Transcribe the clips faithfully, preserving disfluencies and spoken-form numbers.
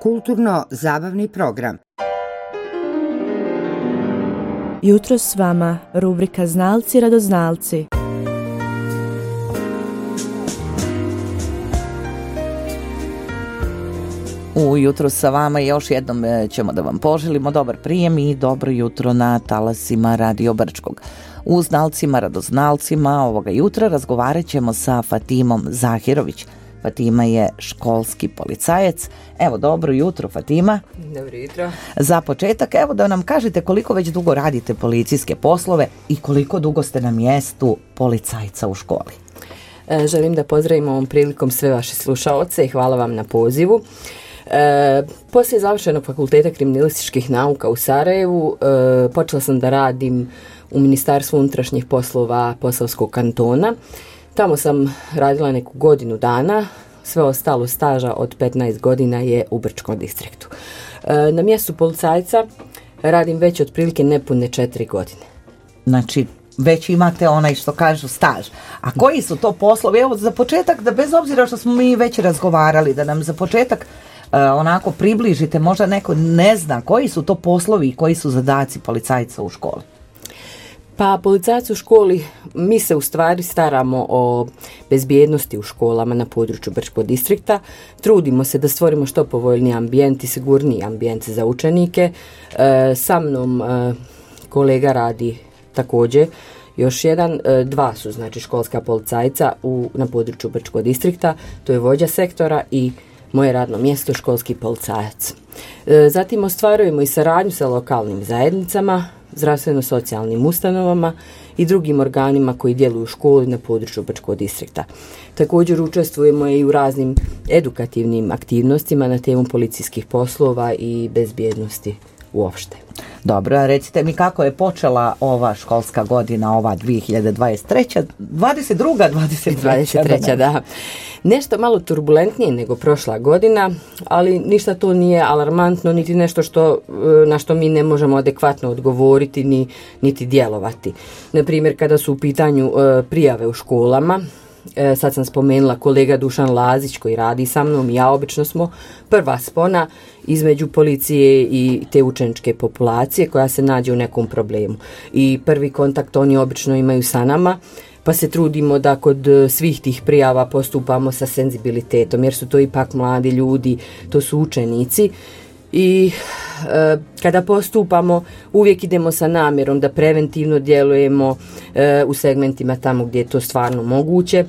Kulturno-zabavni program. Jutro s vama, rubrika Znalci radoznalci. Ujutro sa vama još jednom ćemo da vam poželimo dobar prijem i dobro jutro na talasima Radio Brčkog. U Znalcima radoznalcima ovoga jutra razgovarat ćemo sa Fatimom Zahirović. Fatima je školski policajac. Evo, dobro jutro, Fatima. Dobro jutro. Za početak, evo da nam kažete koliko već dugo radite policijske poslove i koliko dugo ste na mjestu policajca u školi. E, želim da pozdravim ovom prilikom sve vaše slušaoce i hvala vam na pozivu. E, poslije završenog fakulteta kriminalističkih nauka u Sarajevu e, počela sam da radim u Ministarstvu unutrašnjih poslova Posavskog kantona. Tamo sam radila neku godinu dana, sve ostalo staža od petnaest godina je u Brčkom distriktu. E, na mjestu policajca radim već otprilike nepune četiri godine. Znači, već imate onaj što kažu staž. A koji su to poslovi? Evo, za početak, da bez obzira što smo mi već razgovarali, da nam za početak uh, onako približite, možda neko ne zna koji su to poslovi i koji su zadaci policajca u školi. Pa policajac u školi, mi se u stvari staramo o bezbjednosti u školama na području Brčkog distrikta. Trudimo se da stvorimo što povoljniji ambijent i sigurniji ambijent za učenike. E, sa mnom e, kolega radi također još jedan, e, dva su znači školska policajca u, na području Brčkog distrikta, to je vođa sektora i moje radno mjesto školski policajac. E, zatim ostvarujemo i saradnju sa lokalnim zajednicama, zdravstveno-socijalnim ustanovama i drugim organima koji djeluju u školi na području Brčkog distrikta. Također učestvujemo i u raznim edukativnim aktivnostima na temu policijskih poslova i bezbjednosti uopšte. Dobro, a recite mi kako je počela ova školska godina, ova dvije hiljade dvadeset treća, dvadeset druga, dvadeset treća. dvadeset treća, da. Nešto malo turbulentnije nego prošla godina, ali ništa to nije alarmantno, niti nešto što, na što mi ne možemo adekvatno odgovoriti, ni, niti djelovati. Naprimjer, kada su u pitanju e, prijave u školama, E, sad sam spomenula kolega Dušan Lazić koji radi sa mnom i ja obično smo prva spona između policije i te učeničke populacije koja se nađe u nekom problemu. I prvi kontakt oni obično imaju sa nama, pa se trudimo da kod svih tih prijava postupamo sa senzibilitetom, jer su to ipak mladi ljudi, to su učenici. I e, kada postupamo uvijek idemo sa namjerom da preventivno djelujemo e, u segmentima tamo gdje je to stvarno moguće,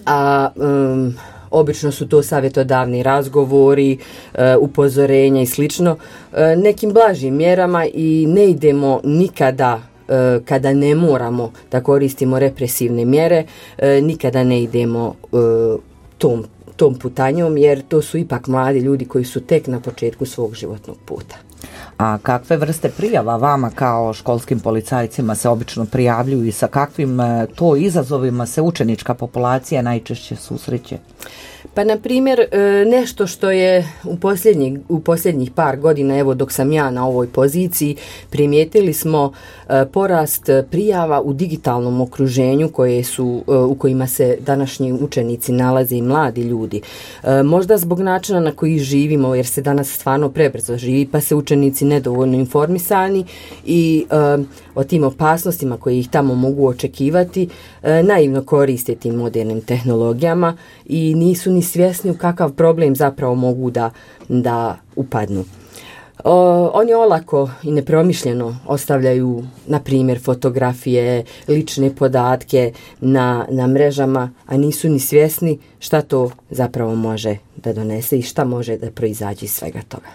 a um, obično su to savjetodavni razgovori, e, upozorenja i slično, e, nekim blažim mjerama i ne idemo nikada e, kada ne moramo da koristimo represivne mjere, e, nikada ne idemo e, tom tom putanjom, jer to su ipak mladi ljudi koji su tek na početku svog životnog puta. A kakve vrste prijava vama kao školskim policajcima se obično prijavljuju i sa kakvim to izazovima se učenička populacija najčešće susreće? Pa, na primjer, nešto što je u posljednjih, u posljednjih par godina, evo dok sam ja na ovoj poziciji, primijetili smo porast prijava u digitalnom okruženju koje su, u kojima se današnji učenici nalaze i mladi ljudi. Možda zbog načina na koji živimo, jer se danas stvarno prebrzo živi, pa se učenici nedovoljno informisani i o tim opasnostima koje ih tamo mogu očekivati, naivno koriste tim modernim tehnologijama i nisu ni svjesni u kakav problem zapravo mogu da, da upadnu. O, oni olako i nepromišljeno ostavljaju, na primjer, fotografije, lične podatke na, na mrežama, a nisu ni svjesni šta to zapravo može da donese i šta može da proizađe iz svega toga.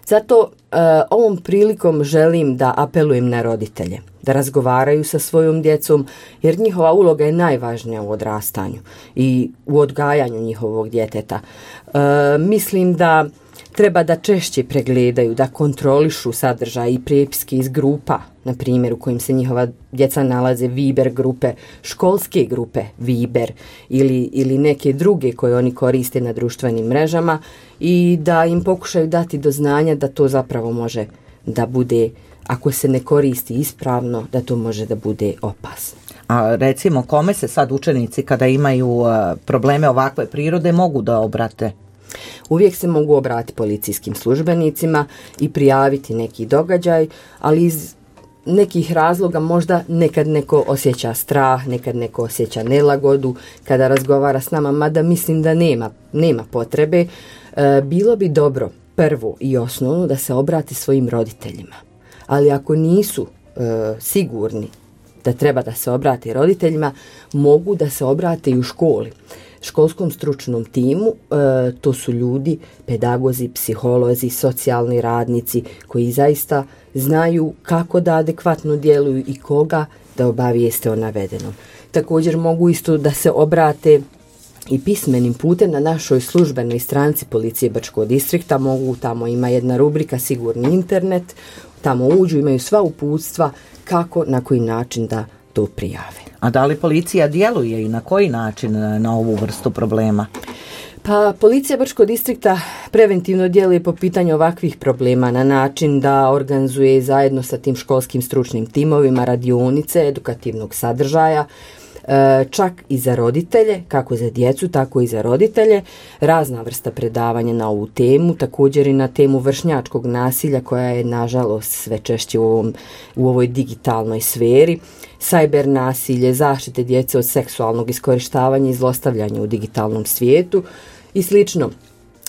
Zato e, ovom prilikom želim da apelujem na roditelje, da razgovaraju sa svojom djecom, jer njihova uloga je najvažnija u odrastanju i u odgajanju njihovog djeteta. E, mislim da treba da češće pregledaju, da kontrolišu sadržaj i prepiske iz grupa, na primjer u kojim se njihova djeca nalaze, Viber grupe, školske grupe Viber ili, ili neke druge koje oni koriste na društvenim mrežama i da im pokušaju dati do znanja da to zapravo može da bude, ako se ne koristi ispravno, da to može da bude opasno. A recimo, kome se sad učenici kada imaju uh, probleme ovakve prirode mogu da obrate? Uvijek se mogu obratiti policijskim službenicima i prijaviti neki događaj, ali iz nekih razloga možda nekad neko osjeća strah, nekad neko osjeća nelagodu kada razgovara s nama, mada mislim da nema, nema potrebe. E, bilo bi dobro prvo i osnovno da se obrati svojim roditeljima, ali ako nisu e, sigurni da treba da se obrati roditeljima, mogu da se obrate i u školi. Školskom stručnom timu, e, to su ljudi, pedagozi, psiholozi, socijalni radnici koji zaista znaju kako da adekvatno djeluju i koga da obavijeste o navedenom. Također mogu isto da se obrate i pismenim putem na našoj službenoj stranici Policije Brčkog distrikta. Mogu, tamo ima jedna rubrika Sigurni internet, tamo uđu, imaju sva uputstva kako, na koji način da to prijave. A da li policija djeluje i na koji način na ovu vrstu problema? Pa Policija Brčkog distrikta preventivno djeluje po pitanju ovakvih problema na način da organizuje zajedno sa tim školskim stručnim timovima radionice edukativnog sadržaja, čak i za roditelje, kako za djecu, tako i za roditelje, razna vrsta predavanja na ovu temu, također i na temu vršnjačkog nasilja koja je nažalost sve češće u, ovom, u ovoj digitalnoj sferi, sajber nasilje, zaštite djece od seksualnog iskorištavanja i zlostavljanja u digitalnom svijetu i slično.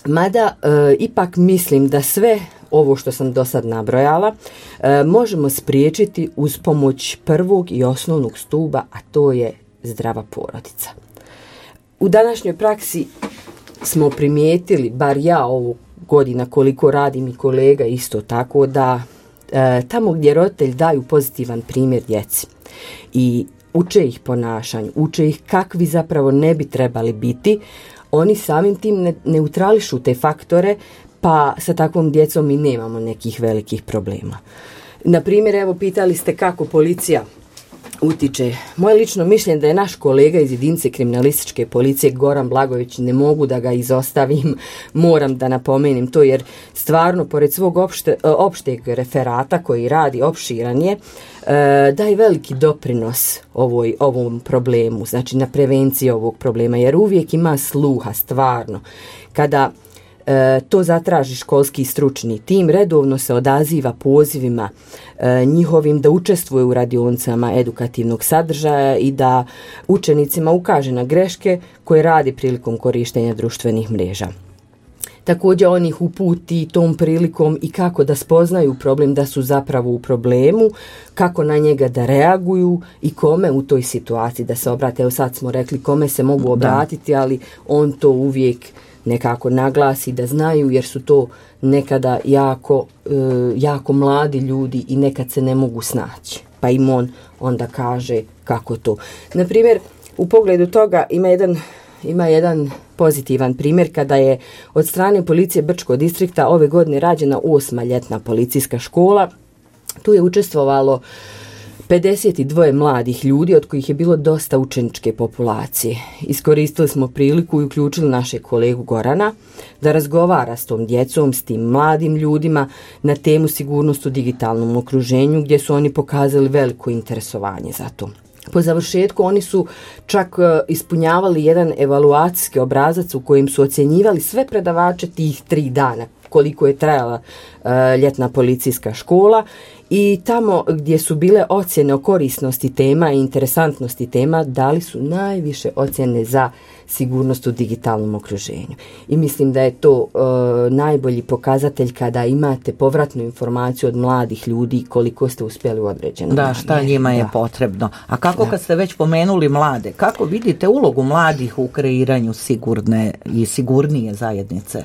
Mada e, ipak mislim da sve ovo što sam do sad nabrojala e, možemo spriječiti uz pomoć prvog i osnovnog stuba, a to je zdrava porodica. U današnjoj praksi smo primijetili, bar ja ovu godina koliko radim i kolega isto tako, da e, tamo gdje roditelji daju pozitivan primjer djeci i uče ih ponašanju, uče ih kakvi zapravo ne bi trebali biti, oni samim tim ne, neutrališu te faktore, pa sa takvom djecom mi nemamo nekih velikih problema. Na primjer, evo pitali ste kako policija utiče. Moje lično mišljenje da je naš kolega iz jedinice kriminalističke policije Goran Blagović, ne mogu da ga izostavim, moram da napomenem to, jer stvarno pored svog opšte, opšteg referata koji radi, opširan je, daje veliki doprinos ovoj, ovom problemu, znači na prevenciji ovog problema, jer uvijek ima sluha stvarno. Kada E, to zatraži školski stručni tim, redovno se odaziva pozivima e, njihovim da učestvuje u radionicama edukativnog sadržaja i da učenicima ukaže na greške koje radi prilikom korištenja društvenih mreža. Također on ih uputi tom prilikom i kako da spoznaju problem, da su zapravo u problemu, kako na njega da reaguju i kome u toj situaciji da se obrate. Evo sad smo rekli kome se mogu obratiti, da. Ali on to uvijek nekako naglasi da znaju, jer su to nekada jako, e, jako mladi ljudi i nekad se ne mogu snaći. Pa im on onda kaže kako to. Naprimjer, u pogledu toga ima jedan, ima jedan pozitivan primjer kada je od strane Policije Brčkog distrikta ove godine rađena osma ljetna policijska škola. Tu je učestvovalo pedeset dva mladih ljudi, od kojih je bilo dosta učeničke populacije. Iskoristili smo priliku i uključili našeg kolegu Gorana da razgovara s tom djecom, s tim mladim ljudima na temu sigurnost u digitalnom okruženju, gdje su oni pokazali veliko interesovanje za to. Po završetku oni su čak ispunjavali jedan evaluacijski obrazac u kojem su ocjenjivali sve predavače tih tri dana, koliko je trajala uh, ljetna policijska škola, i tamo gdje su bile ocjene o korisnosti tema i interesantnosti tema, dali su najviše ocjene za sigurnost u digitalnom okruženju. I mislim da je to uh, najbolji pokazatelj kada imate povratnu informaciju od mladih ljudi koliko ste uspjeli u određenom. Da, šta njima je da. potrebno. A kako da. kad ste već pomenuli mlade, kako vidite ulogu mladih u kreiranju sigurne i sigurnije zajednice?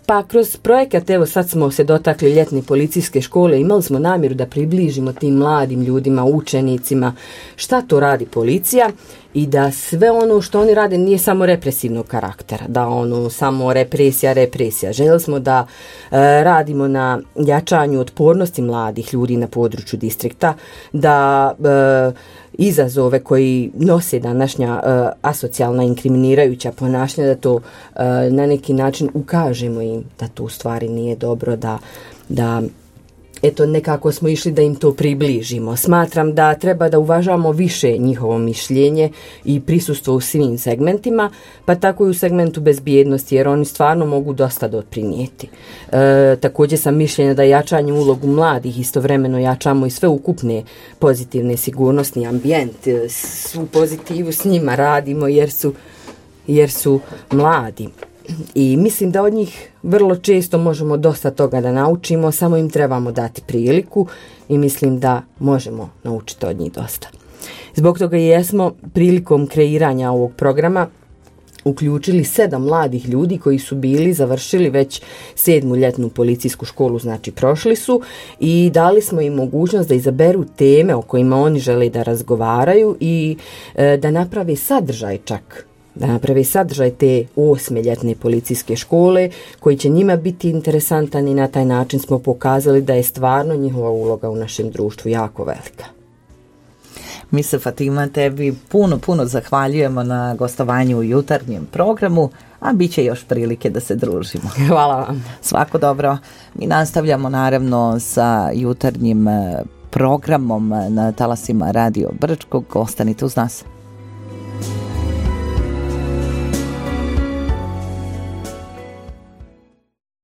Pa kroz projekat, evo sad smo se dotakli ljetne policijske škole, imali smo namjeru da približimo tim mladim ljudima, učenicima, šta to radi policija i da sve ono što oni rade nije samo represivnog karaktera, da ono samo represija, represija. Željeli smo da e, radimo na jačanju otpornosti mladih ljudi na području distrikta, da e, izazove koji nose današnja e, asocijalna inkriminirajuća ponašanja, da to e, na neki način ukažemo im da to u stvari nije dobro, da, da eto nekako smo išli da im to približimo. Smatram da treba da uvažamo više njihovo mišljenje i prisustvo u svim segmentima, pa tako i u segmentu bezbjednosti, jer oni stvarno mogu dosta doprinijeti. E, također sam mišljenja da jačanje ulogu mladih istovremeno jačamo i sve ukupne pozitivne sigurnosni ambijent, svu pozitivu s njima radimo jer su, jer su mladi. I mislim da od njih vrlo često možemo dosta toga da naučimo, samo im trebamo dati priliku i mislim da možemo naučiti od njih dosta. Zbog toga i jesmo prilikom kreiranja ovog programa uključili sedam mladih ljudi koji su bili završili već sedmu ljetnu policijsku školu, znači prošli su, i dali smo im mogućnost da izaberu teme o kojima oni žele da razgovaraju i e, da naprave sadržaj čak. da napravi sadržaj te osme ljetne policijske škole koji će njima biti interesantan i na taj način smo pokazali da je stvarno njihova uloga u našem društvu jako velika. Mi se, Fatima, tebi puno, puno zahvaljujemo na gostovanju u jutarnjem programu, a bit će još prilike da se družimo. Hvala vam. Svako dobro. Mi nastavljamo naravno sa jutarnjim programom na talasima Radio Brčkog. Ostanite uz nas.